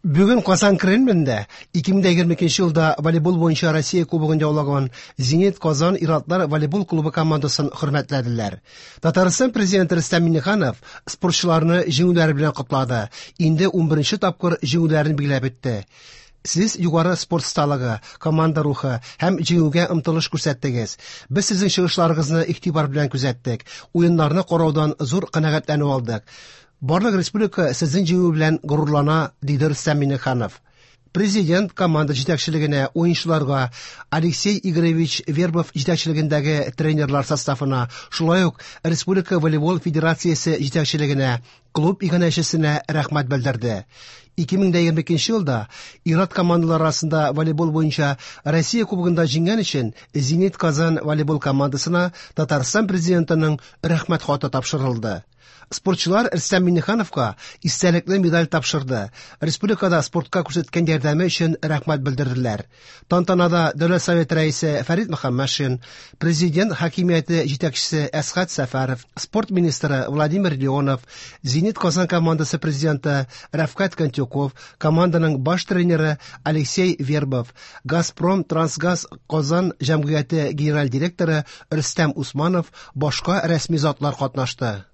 Бүген Казан Кремлендә 2022 елда волейбол буенча Россия кубогын яулаган Зенит Казан ир-атлар волейбол клубы командасын хөрмәтләделәр. Татарстан президенты Рөстәм Миңнеханов спортчыларны җиңүләре белән котлады. Инде 11 тапкыр җиңүләрен билгеләп үтте. Сез югары спорт осталыгы, команда рухы һәм җиңүгә омтылыш күрсәттегез. Без сезнең чыгышларыгызны игътибар белән күзәттек. Уеннарны караудан зур канәгатьләнү алдык. Барлык республика сезнең җиңү белән горурлана, диде Рөстәм Миңнеханов. Президент команда җитәкчелегенә, уенчыларга, Алексей Игоревич Вербов җитәкчелегендәге тренерлар составына, шулай ук Республика волейбол федерациясе җитәкчелегенә, клуб иганәчесенә рәхмәт белдерде. 2022 елда ир-ат командалар арасында волейбол буенча Россия кубогында җиңгән өчен Зенит Казан волейбол командасына Татарстан президентының рәхмәт хаты тапшырылды. Спортчылар Рөстәм Миңнехановка истәлекле медаль тапшырды. Республикада спортка күрсәткән ярдәме өчен рәхмәт белдерделәр. Тантанада Дәүләт Советы рәисе Фәрит Мөхәммәтшин, президент хакимияте җитәкчесе Әсхәт Сәфәров, спорт министры Владимир Леонов, Зенит Казан командасы президенты Рәфкать Кантюков, команданың баш тренеры Алексей Вербов, Газпром Трансгаз Казан җәмгыяте генераль директоры Рөстәм Усманов, башка рәсми затлар катнашты.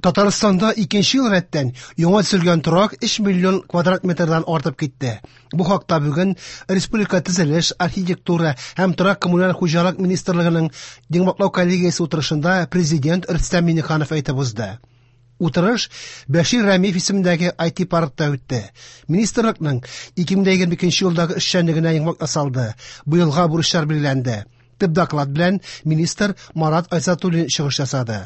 Татарстанда икенче ел рәттән яңа төзелгән торак 3 миллион квадрат метрдан артып китте. Бу хакта бүген Республика төзелеш, архитектура һәм торак коммуналь хуҗалык министрлыгының йомгаклау коллегиясе утырышында президент Рөстәм Миңнеханов әйтеп узды. Утырыш Бәшир Рәмиев исемендәге IT-паркта үтте. Министрлыкның 2022 елдагы эшчәнлегенә йомгак ясалды. Быелга бурычлар билгеләнде. Төп доклад белән министр Марат Айзатуллин чыгыш ясады.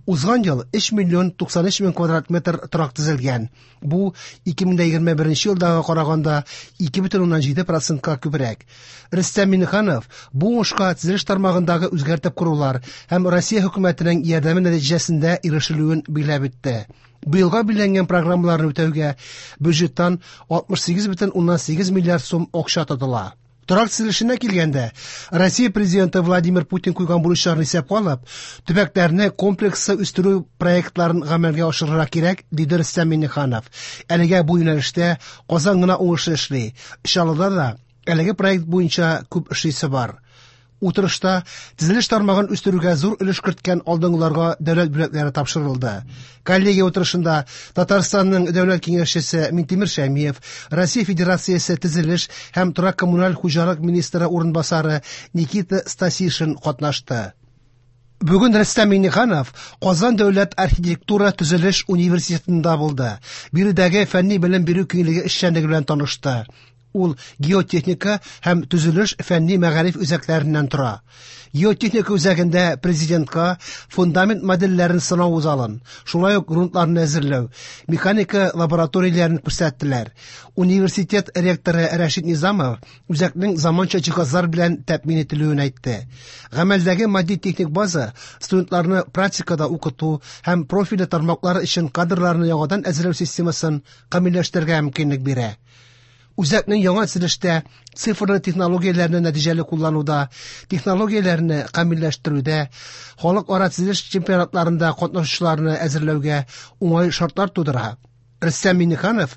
Узган ел 3 миллион 93 мең квадрат метр торак төзелгән. Бу 2021 елдагы караганда 2,7%ка күбрәк. Рөстәм Миңнеханов бу уңышка төзелеш тармагындагы үзгәртеп корулар һәм Россия хөкүмәтенең ярдәме нәтиҗәсендә ирешелүен билгеләп үтте. Быелга билгеләнгән программаларны үтәүгә бюджеттан 68,8 миллиард сум акча тотыла. Торак төзелешенә килгәндә, Россия президенты Владимир Путин куйган бурычларны исәпкә алып, төбәкләрне комплекслы үстерү проектларын гамәлгә ашырырга кирәк, диде Рөстәм Миңнеханов. Әлегә бу юнәлештә Казан гына уңышлы эшли. Чаллыда да әлеге проект буенча күп эшлисе бар. Утырышта төзелеш тармагын үстерүгә зур өлеш керткән алдынгыларга дәүләт бүләкләре тапшырылды. Коллегия утырышында Татарстанның дәүләт киңәшчесе Минтимер Шәймиев, Россия Федерациясе төзелеш һәм торак коммуналь хуҗалык министры урынбасары Никита Стасишин катнашты. Бүген Рөстәм Миңнеханов Казан дәүләт архитектура төзелеш университетында булды. Биредәге фәнни белем бирү киңлеге эшчәнлеге белән танышты. Ул геотехника һәм төзелеш фәнни мәгариф үзәкләреннән тора. Геотехника үзәгендә президентка фундамент модельләрен сынау залын, шулай ук грунтларны әзерләү, механика лабораторияләрен күрсәттеләр. Университет ректоры Рәшид Низамов үзәкнең заманча җиһазлар белән тәэмин ителүен әйтте. Гамәлдәге матди-техник база студентларны практикада укыту һәм профильле тармаклар өчен кадрларны яңадан әзерләү системасын камилләштерергә мөмкинлек бирә. Үзәкнең яңа төзелештә цифрлы технологияләрне нәтиҗәле куллануда, технологияләрне камилләштерүдә, халыкара төзелеш чемпионатларында катнашучыларны әзерләүгә уңай шартлар тудыра. Рөстәм Миңнеханов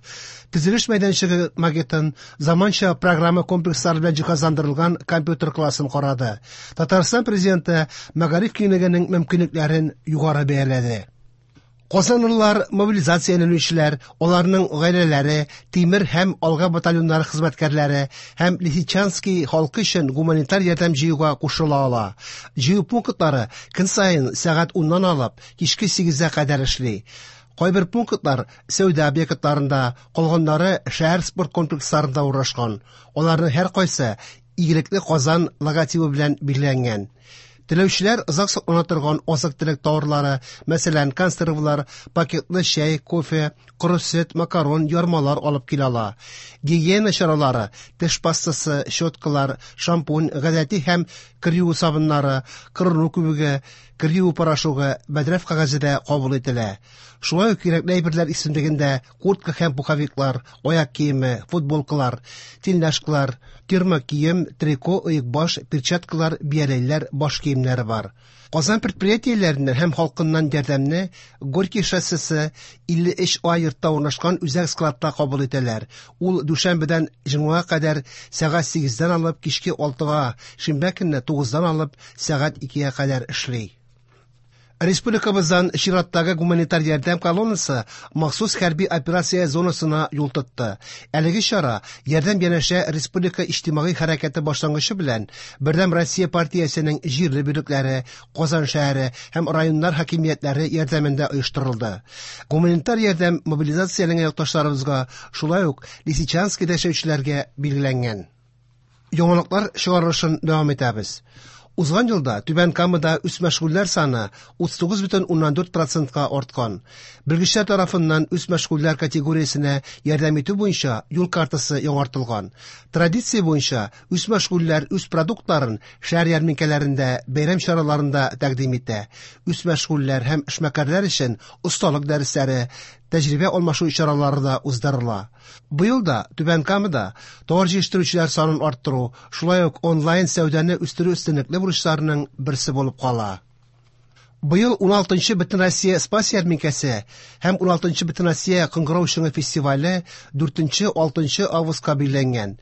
төзелеш мәйданчыгы макетын, заманча программа комплекслары белән җиһазландырылган компьютер классын карады. Татарстан президенты мәгариф киңлегенең мөмкинлекләрен югары бәяләде. Казанлылар, мобилизацияләнүчеләр, аларның гаиләләре, Тимер һәм Алга батальоннары хезмәткәрләре һәм Лисичанский халкы өчен гуманитар ярдәм җыюга кушыла ала. Җыю пунктлары көн саен сәгать 10-нан алып кичке 8-гә кадәр эшли. Кайбер пунктлар сәүдә объектларында, калганнары шәһәр спорт комплексларында урнашкан. Аларның һәркайсы Игелекле Казан логотибы белән билгеләнгән. Теләүчеләр озак саклана торган азык-төлек товарлары, мәсәлән, консервлар, пакетлы чәй, кофе, коры сөт, макарон, ярмалар алып килә ала. Гигиена чаралары, теш пастасы, щеткалар, шампунь, гадәти һәм кер юу сабыннары, кырыну күбеге, Кер юу порошогы, бәдрәф кәгазе дә кабул ителә. Шулай ук кирәкле әйберләр исемлегендә куртка һәм пуховиклар, аяк киеме, футболкалар, тельняшкалар, термокием, трико, оекбаш, перчаткалар, бияләйләр, баш киемнәре бар. Казан предприятиеләреннән һәм халкыннан ярдәмне Горький шоссесы 53 А йортта урнашкан үзәк складта кабул итәләр. Ул дүшәмбедән җомгага кадәр сәгать 8-дән алып кичке 6-га, шимбә көнне 9-дан алып сәгать 2-гә кадәр эшли. Республикабыздан чираттагы гуманитар ярдәм колоннасы махсус хәрби операция зонасына юл тотты. Әлеге чара «Ярдәм янәшә» республика иҗтимагый хәрәкәте башлангычы белән Бердәм Россия партиясенең җирле бүлекләре, Казан шәһәре һәм районнар хакимиятләре ярдәмендә оештырылды. Гуманитар ярдәм мобилизацияләнгән якташларыбызга, шулай ук Лисичанскида яшәүчеләргә билгеләнгән. Яңалыклар чыгарылышын дәвам итәбез. Узган елда Түбән Камада үзмәшгульләр саны 39,4 процентка арткан. Белгечләр тарафыннан үзмәшгульләр категориясенә ярдәм итү буенча юл картасы яңартылган. Традиция буенча үзмәшгульләр үз продуктларын шәһәр ярминкәләрендә, бәйрәм чараларында тәкъдим итә. Үзмәшгульләр һәм эшмәкәрләр өчен осталык дәресләре, тәҗрибә алмашу чаралары да уздырыла. Быел да Түбән Камада товар җитештерүчеләр санын арттыру, шулай ук онлайн сәүдәне үстерү өстенлекле бурычларының берсе булып кала. Быел 16-нчы Бөтенроссия Спас ярминкәсе һәм 16-нчы Бөтенроссия Кыңгырау чыңы фестивале 4-6 августка билгеләнгән.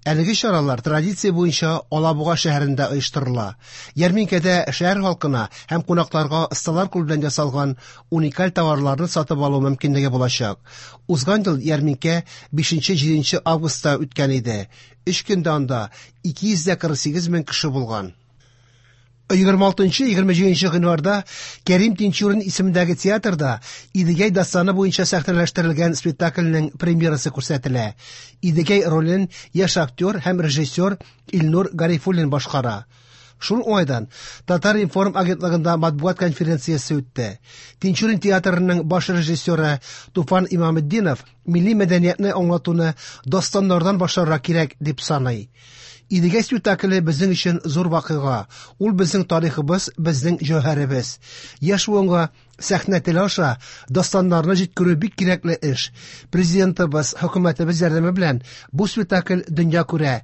Әлеге чаралар традиция буенча Алабуга шәһәрендә оештырыла. Ярминкәдә шәһәр халкына һәм кунакларга осталар кулы белән ясалган уникаль товарларны сатып алу мөмкинлеге булачак. Узган ел ярминкә 5-7 августта үткән иде. Өч көндә анда 248 мең кеше булган. 26-27 гыйнварда Кәрим Тинчурин исемендәге театрда Идегәй дастаны буенча сәхнәләштерелгән спектакльнең премьерасы күрсәтелә. Идегәй ролен яшь актер һәм режиссер Илнур Гарифуллин башкара. Шул уңайдан Татар-информ агентлыгында матбугат конференциясе үтте. Тинчурин театрының баш режиссеры Туфан Имаметдинов милли мәдәниятне аңлатуны дастаннардан башларга кирәк дип саный. Идегәй спектакле безнең өчен зур вакыйга. Ул безнең тарихыбыз, безнең җәүһәребез. Яшь буынга сәхнә теле аша дастаннарны җиткерү бик кирәкле эш. Президентыбыз, хөкүмәтебез ярдәме белән бу спектакль дөнья күрә,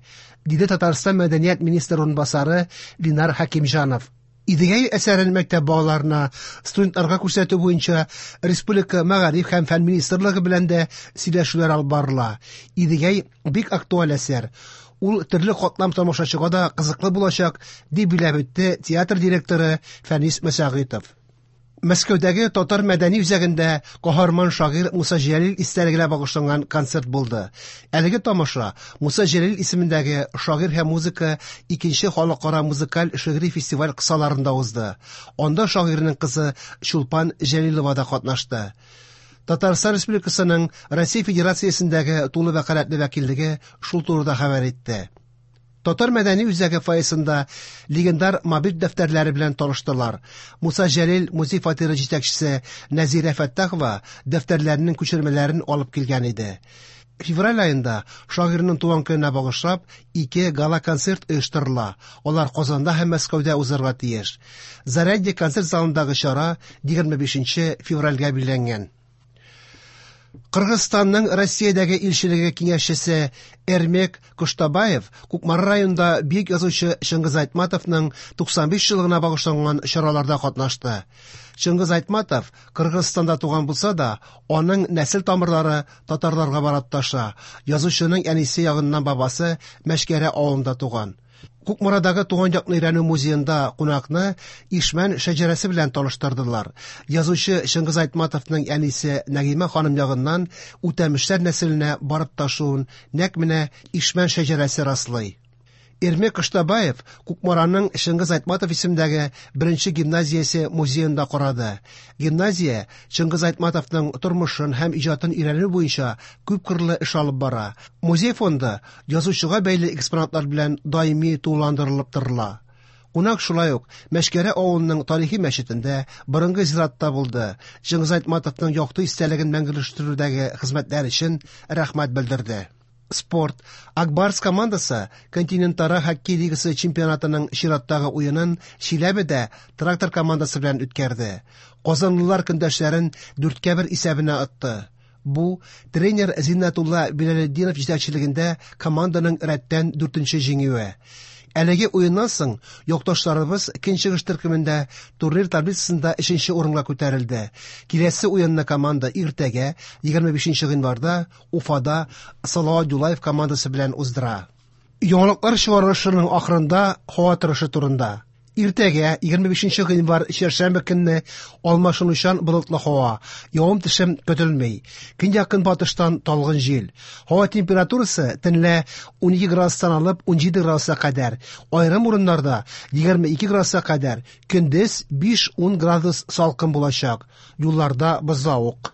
диде Татарстан мәдәният министры урынбасары Линар Хәкимҗанов. Идегәй әсәрен мәктәп балаларына, студентларга күрсәтү буенча республика мәгариф һәм фән министрлыгы белән дә сөйләшүләр алып барыла. Идегәй бик актуаль әсәр. Ул төрле катлам тамашачыга да кызыклы булачак, дип билгеләп үтте театр директоры Фәнис Мәсәгыйтов. Мәскәүдәге Татар мәдәни үзәгендә каһарман шагыйрь Муса Җәлил истәлегенә багышланган концерт булды. Әлеге тамаша Муса Җәлил исемендәге шагыйрь һәм музыка икенче халыкара музыкаль шигъри фестиваль кысаларында узды. Анда шагыйрьнең кызы Чулпан Җәлилова да катнашты. Татарстан Республикасының Россия Федерациясендәге тулы вәкаләтле вәкиллеге шул турыда хәбәр итте. Татар мәдәни үзәге фойесында легендар мобиль дәфтәрләре белән таныштылар. Муса Җәлил музей фатиры җитәкчесе Нәзирә Фәттахова дәфтәрләренең күчермәләрен алып килгән иде. Февраль аенда шагыйрьнең туган көненә багышлап ике гала-концерт оештырыла. Алар Казанда һәм Мәскәүдә узарга тиеш. Зарядье концерт залындагы чара 25 февральгә билгеләнгән. Кыргызстанның Россиядәге илчелеге киңәшчесе Эрмек Коштабаев Кукмара районында бөек язучы Чыңгыз Айтматовның 95 еллыгына багышланган чараларда катнашты. Чыңгыз Айтматов Кыргызстанда туган булса да, аның нәсел тамырлары татарларга барып тоташа. Язучының әнисе ягыннан бабасы Мәшкәрә авылында туган. Кукмарадагы туган якны өйрәнү музеенда кунакны Ишмән шәҗәрәсе белән таныштырдылар. Язучы Чыңгыз Айтматовның әнисе Нәгыймә ханым ягыннан Үтәмешләр нәселенә барып ташуын нәкъ менә Ишмән шәҗәрәсе раслый. Эрмек Коштабаев Кукмараның Чыңгыз Айтматов исемендәге беренче гимназиясе музеенда карады. Гимназия Чыңгыз Айтматовның тормышын һәм иҗатын өйрәнү буенча күпкырлы эш алып бара. Музей фонды язучыга бәйле экспонатлар белән даими тулыландырылып торыла. Кунак шулай ук Мәшкәрә авылының тарихи мәчетендә, борынгы зиратта булды. Чыңгыз Айтматовның якты истәлеген мәңгеләштерүдәге хезмәтләр өчен рәхмәт белдерде. Спорт. Ак Барс командасы Континентара хоккей лигасы чемпионатының чираттагы уенын Чиләбедә Трактор командасы белән үткәрде. Казанлылар көндәшләрен 4-1 исәбенә отты. Бу тренер Зиннәтулла Билалетдинов җитәкчелегендә команданың рәттән 4нче җиңүе. Әлеге уеннан соң якташларыбыз көнчыгыш төркемендә турнир таблицасында 3нче урынга күтәрелде. Киләсе уенны команда иртәгә 25 гыйнварда Уфада Салават Юлаев командасы белән уздыра. Яңалыклар чыгарылышының ахырында һава торышы турында. Иртәгә 25 гыйнвар чәршәмбе көнне алмашынучан болытлы һава, явым-төшем көтелми. Көньяк-көнбатыштан талгын җил. Һава температурасы төнлә 12 градустан алып 17 градуска кадәр, аерым урыннарда 22 градуска кадәр, көндез 5-10 градус салкын булачак. Юлларда бозлавык.